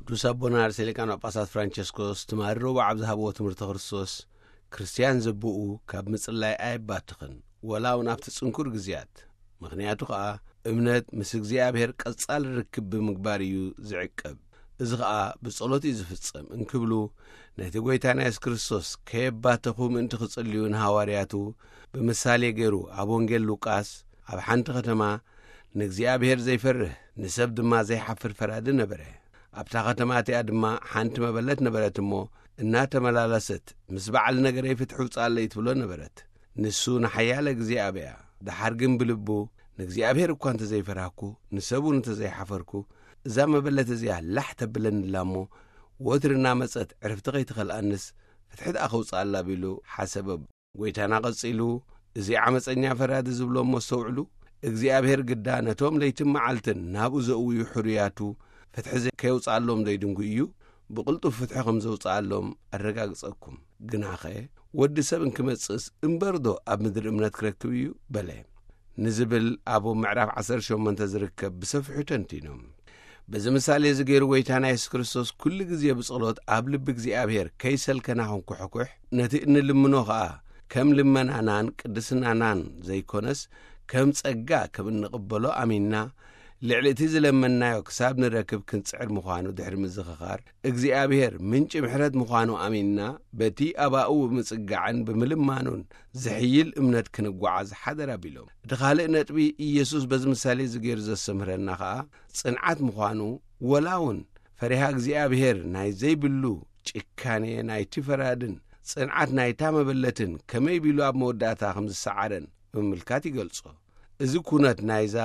ቅዱስ ኣቦና ርእሰ ሊቃነ ጳጳሳት ፍራንቸስኮስ ትማሊ ረቡዕ ኣብ ዝሃብዎ ትምህርቲ ክርስቶስ፣ ክርስትያን ዘቦኡ ካብ ምጽላይ ኣየባትኽን፣ ወላ እውን ኣብቲ ጽንኩር ግዜያት። ምኽንያቱ ኸኣ፣ እምነት ምስ እግዚኣብሔር ቀጻሊ ርክብ ብምግባር እዩ ዝዕቀብ። እዚ ኸኣ ብጸሎት እዩ ዝፍጸም እንክብሉ፣ ነቲ ጐይታና የሱስ ክርስቶስ ከየባተኹ ምእንቲ ክጽልዩ ንሃዋርያቱ ብምሳሌ ገይሩ ኣብ ወንጌል ሉቃስ፣ ኣብ ሓንቲ ከተማ ንእግዚኣብሔር ዘይፈርህ፣ ንሰብ ድማ ዘይሓፍር ፈራዲ ነበረ። ኣብታ ከተማ እቲኣ ድማ ሓንቲ መበለት ነበረት እሞ፣ እናተመላለሰት፣ "ምስ በዓል ነገረይ ፍትሒ ውጻለይ" ትብሎ ነበረት። ንሱ ንሓያለ ግዜ ኣበያ። ደሓር ግን ብልቡ፣ "ንእግዚኣብሔር እኳ እንተ ዘይፈራህኩ፣ ንሰብ እውን እንተ ዘይሓፈርኩ፣ እዛ መበለት እዚኣ ላሕ ተብለኒ ኣላ እሞ፣ ወትሪ እናመጸት ዕርፍቲ ከይትኸልኣንስ፣ ፍትሒ ደኣ ከውጽኣላ" ቢሉ ሓሰበ። ጐይታና ቀጺሉ፣ "እዚ ዓመጸኛ ፈራዲ ዝብሎ እሞ ኣስተውዕሉ፣ እግዚኣብሔር ግዳ ነቶም ለይትን መዓልትን ናብኡ ዘእውዩ ሕሩያቱ ፍትሒ ዘ-፣ ከየውጽኣሎም ዘይድንጉ እዩ፣ ብቕልጡፍ ፍትሒ ከም ዘውጽኣሎም ኣረጋግጸኩም። ግናኸ ወዲ ሰብ እንክመጽእስ እምበርዶ ኣብ ምድሪ እምነት ክረክብ እዩ?" በለ። ንዝብል ኣብ ምዕራፍ ዓሰርተ ሸሞንተ ዝርከብ ብሰፊሑ ተንቲኖም። በዚ ምሳሌ እዚ ገይሩ ጐይታና የሱስ ክርስቶስ ኩሉ ግዜ ብጸሎት ኣብ ልቢ እግዚኣብሔር ከይሰልከና ክንኩሕኩሕ፣ ነቲ እንልምኖ ኸኣ ከም ልመናናን ቅድስናናን ዘይኮነስ ከም ጸጋ ከም እንቕበሎ ኣሚንና፣ ልዕሊ እቲ ዝለመንናዮ ክሳብ ንረክብ ክንጽዕር ምዃኑ ድሕሪ ምዝኽኻር፣ እግዚኣብሔር ምንጪ ምሕረት ምዃኑ ኣሚንና፣ በቲ ኣባኡ ብምጽጋዕን ብምልማኑን ዝሕይል እምነት ክንጓዓዝ ሓደራ ቢሎም። እቲ ካልእ ነጥቢ፣ ኢየሱስ በዚ ምሳሌ እዚ ገይሩ ዘስተምህረና ኸኣ፣ ጽንዓት ምዃኑ፣ ወላ እውን ፈሪሃ እግዚኣብሔር ናይ ዘይብሉ ጭካኔ ናይቲ ፈራድን ጽንዓት ናይታ መበለትን ከመይ ቢሉ ኣብ መወዳእታ ከም ዝሰዓረን ብምምልካት ይገልጾ። እዚ ኩነት ናይዛ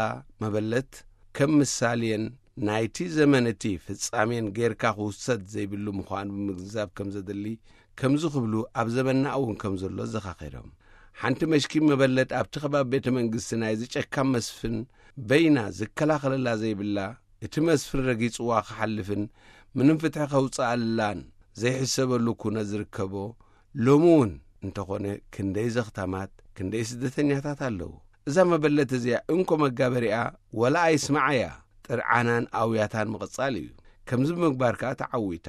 መበለት ከም ምሳሌን ናይቲ ዘመን እቲ ፍጻሜን ጌርካ ክውሰድ ዘይብሉ ምዃኑ ብምግንዛብ ከም ዘድሊ፣ ከምዚ ክብሉ ኣብ ዘመንና እውን ከም ዘሎ ዘኻኺሮም። ሓንቲ መሽኪን መበለት ኣብቲ ከባቢ ቤተ መንግስቲ ናይዚ ጨካን መስፍን በይና ዝከላኸለላ ዘይብላ፣ እቲ መስፍን ረጊጽዋ ክሓልፍን ምንም ፍትሒ ከውጽኣላን ዘይሕሰበሉ ኩነት ዝርከቦ፣ ሎሚ እውን እንተኾነ ክንደይ ዘኽታማት፣ ክንደይ ስደተኛታት ኣለዉ። እዛ መበለት እዚኣ እንኮ መጋበሪኣ ወላ ኣይስምዓያ፣ ጥርዓናን ኣውያታን ምቕጻል እዩ። ከምዚ ብምግባር ከኣ ተዓዊታ።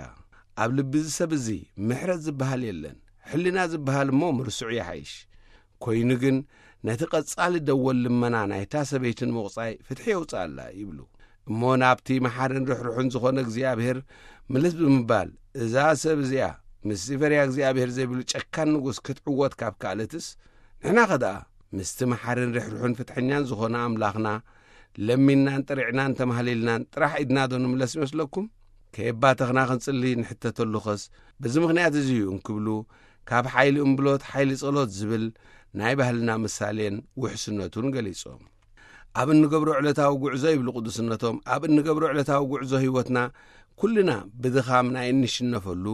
ኣብ ልቢ እዚ ሰብ እዚ ምሕረት ዝበሃል የለን። ሕልና ዝበሃል እሞ ምርስዑ ይሓይሽ። ኮይኑ ግን ነቲ ቀጻሊ ደወል ልመና ናይታ ሰበይትን ምቑጻይ ፍትሒ የውጽኣላ ይብሉ። እሞ ናብቲ መሓርን ርሕሩሕን ዝኾነ እግዚኣብሔር ምልስ ብምባል፣ እዛ ሰብ እዚኣ ምስቲ ፈሪሃ እግዚኣብሔር ዘይብሉ ጨካን ንጉስ ክትዕወት ካብ ከኣለትስ፣ ንሕናኸ ደኣ ምስቲ መሓርን ርሕሩሕን ፍትሐኛን ዝኾነ ኣምላኽና ለሚንናን ጥሪዕናን ተማህሊልናን ጥራሕ ኢድና ዶ ንምለስ ይመስለኩም? ከየባተኽና ክንጽሊ ንሕተተሉኸስ በዚ ምኽንያት እዚ እዩ እንክብሉ፣ ካብ ሓይሊ እምብሎት ሓይሊ ጸሎት ዝብል ናይ ባህልና ምሳሌን ውሕስነቱን ገሊጾም። ኣብ እንገብሮ ዕለታዊ ጉዕዞ ይብሉ ቅዱስነቶም፣ ኣብ እንገብሮ ዕለታዊ ጉዕዞ ህይወትና ኩልና ብድኻም ናይ እንሽነፈሉ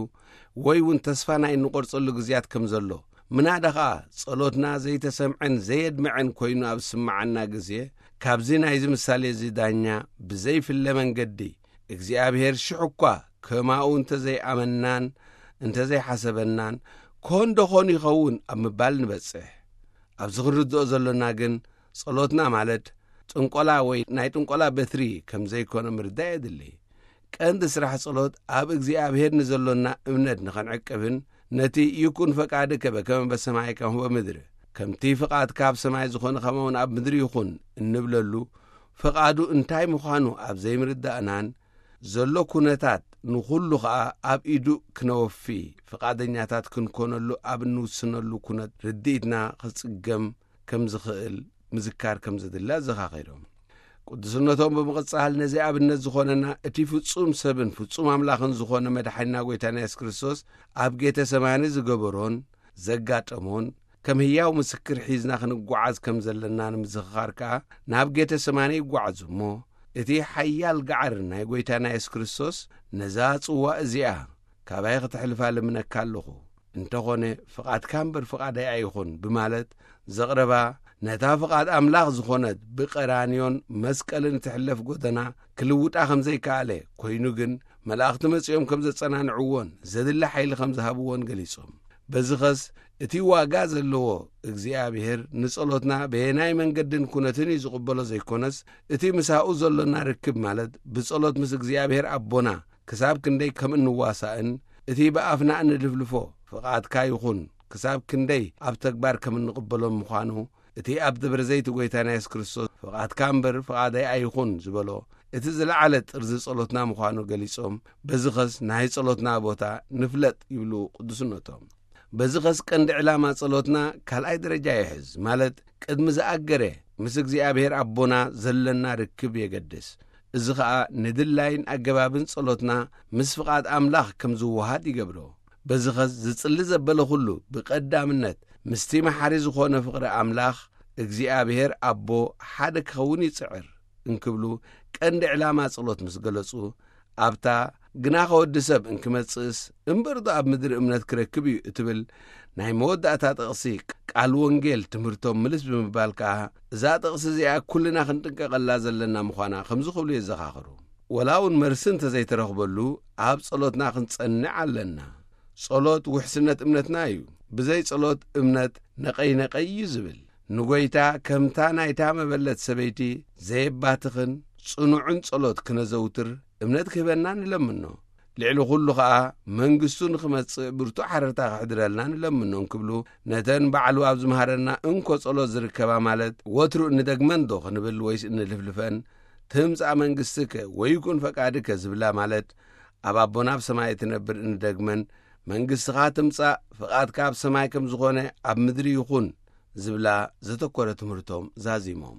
ወይ እውን ተስፋ ናይ እንቆርጸሉ ግዜያት ከም ዘሎ፣ ምናዳ ኸኣ ጸሎትና ዘይተሰምዐን ዘየድመዐን ኮይኑ ኣብ ዝስምዓና ግዜ፣ ካብዚ ናይዚ ምሳሌ እዚ ዳኛ ብዘይፍለ መንገዲ እግዚኣብሔር ሽሕ እኳ ከማኡ እንተ ዘይኣመናን እንተ ዘይሓሰበናን፣ ኮን ዶ ኾን ይኸውን ኣብ ምባል ንበጽሕ። ኣብዚ ክንርድኦ ዘሎና ግን፣ ጸሎትና ማለት ጥንቆላ ወይ ናይ ጥንቆላ በትሪ ከም ዘይኮነ ምርዳእ የድሊ። ቀንዲ ስራሕ ጸሎት ኣብ እግዚኣብሔር ንዘሎና እምነት ንኸንዕቅብን፣ ነቲ "ይኩን ፈቃድከ በከመ በሰማይ ከመ በምድሪ፣ ከምቲ ፍቓድካ ኣብ ሰማይ ዝኾነ ከማውን ኣብ ምድሪ ይኹን" እንብለሉ፣ ፍቓዱ እንታይ ምዃኑ ኣብ ዘይምርዳእናን፣ ዘሎ ኩነታት ንኹሉ ኸኣ ኣብ ኢዱ ክነወፊ ፍቓደኛታት ክንኮነሉ ኣብ እንውስነሉ ኩነት ርድኢትና ክጽገም ከም ዝኽእል ምዝካር ከም ዘድሊ ኣዘኻኺሮም። ቅዱስነቶም ብምቕጻል፣ ነዚ ኣብነት ዝኾነና እቲ ፍጹም ሰብን ፍጹም ኣምላኽን ዝኾነ መድሓኒና ጐይታና የሱስ ክርስቶስ ኣብ ጌተ ሰማኒ ዝገበሮን ዘጋጠሞን ከም ህያው ምስክር ሒዝና ክንጓዓዝ ከም ዘለና ንምዝኽኻር ከኣ ናብ ጌተ ሰማኒ ይጓዓዙ እሞ፣ እቲ ሓያል ገዓር ናይ ጐይታና የሱስ ክርስቶስ ነዛ ጽዋእ እዚኣ ካባይ ክተሕልፋ ልምነካ ኣለኹ፣ እንተኾነ ፍቓድካ እምበር ፍቓደይ ኣይኹን ብማለት ዘቕረባ፣ ነታ ፍቓድ ኣምላኽ ዝኾነት ብቀራንዮን መስቀልን እትሕለፍ ጎደና ክልውጣ ከም ዘይከኣለ፣ ኮይኑ ግን መላእኽቲ መጺኦም ከም ዘጸናንዕዎን ዘድሊ ሓይሊ ከም ዝሃብዎን ገሊጾም። በዚኸስ እቲ ዋጋ ዘለዎ እግዚኣብሔር ንጸሎትና በየናይ መንገድን ኩነትን እዩ ዝቕበሎ ዘይኮነስ፣ እቲ ምሳኡ ዘሎና ርክብ ማለት ብጸሎት ምስ እግዚኣብሔር ኣቦና ክሳብ ክንደይ ከም እንዋሳእን፣ እቲ ብኣፍና እንልፍልፎ ፍቓድካ ይኹን ክሳብ ክንደይ ኣብ ተግባር ከም እንቕበሎም ምዃኑ፣ እቲ ኣብ ደብረ ዘይት ጐይታና የሱስ ክርስቶስ "ፍቓድካ እምበር ፍቓደይ ኣይኹን" ዝበሎ፣ እቲ ዝለዓለ ጥርዚ ጸሎትና ምዃኑ ገሊጾም፣ በዚ ኸስ ናይ ጸሎትና ቦታ ንፍለጥ ይብሉ ቅዱስነቶም። በዚ ኸስ ቀንዲ ዕላማ ጸሎትና ካልኣይ ደረጃ ይሕዝ፣ ማለት ቅድሚ ዝኣገረ ምስ እግዚኣብሔር ኣቦና ዘለና ርክብ የገድስ። እዚ ኸኣ ንድላይን ኣገባብን ጸሎትና ምስ ፍቓድ ኣምላኽ ከም ዝወሃድ ይገብሮ። በዚ ኸስ ዝጽሊ ዘበለ ኹሉ ብቐዳምነት ምስቲ መሓሪ ዝኾነ ፍቕሪ ኣምላኽ እግዚኣብሔር ኣቦ ሓደ ክኸውን ይጽዕር እንክብሉ ቀንዲ ዕላማ ጸሎት ምስ ገለጹ፣ ኣብታ "ግና ከወዲ ሰብ እንክመጽእስ እምበርዶ ኣብ ምድሪ እምነት ክረክብ እዩ" እትብል ናይ መወዳእታ ጥቕሲ ቃል ወንጌል ትምህርቶም ምልስ ብምባል ከኣ፣ እዛ ጥቕሲ እዚኣ ኩልና ክንጥንቀቐላ ዘለና ምዃና ከምዚ ክብሉ የዘኻኽሩ። ወላ እውን መርሲ እንተዘይተረኽበሉ፣ ኣብ ጸሎትና ክንጸንዕ ኣለና። ጸሎት ውሕስነት እምነትና እዩ። ብዘይ ጸሎት እምነት ነቐይ ነቐይ እዩ ዝብል። ንጐይታ ከምታ ናይታ መበለት ሰበይቲ ዘየባትኽን ጽኑዕን ጸሎት ክነዘውትር እምነት ክህበና ንለምኖ። ልዕሊ ኹሉ ኸኣ መንግስቱ ንኽመጽእ ብርቱዕ ሓረርታ ክሕድረልና ንለምኖ እንክብሉ፣ ነተን ባዕሉ ኣብ ዝመሃረና እንኮ ጸሎት ዝርከባ፣ ማለት ወትሩ እንደግመን ዶ ክንብል ወይስ እንልፍልፈን? "ትምጻእ መንግስትከ ወይኩን ፈቃድከ" ዝብላ፣ ማለት ኣብ ኣቦና ኣብ ሰማይ እትነብር እንደግመን "መንግስትኻ ትምጻእ፣ ፍቓድካ ኣብ ሰማይ ከም ዝኾነ ኣብ ምድሪ ይኹን" ዝብላ ዘተኮረ ትምህርቶም ዛዚሞም።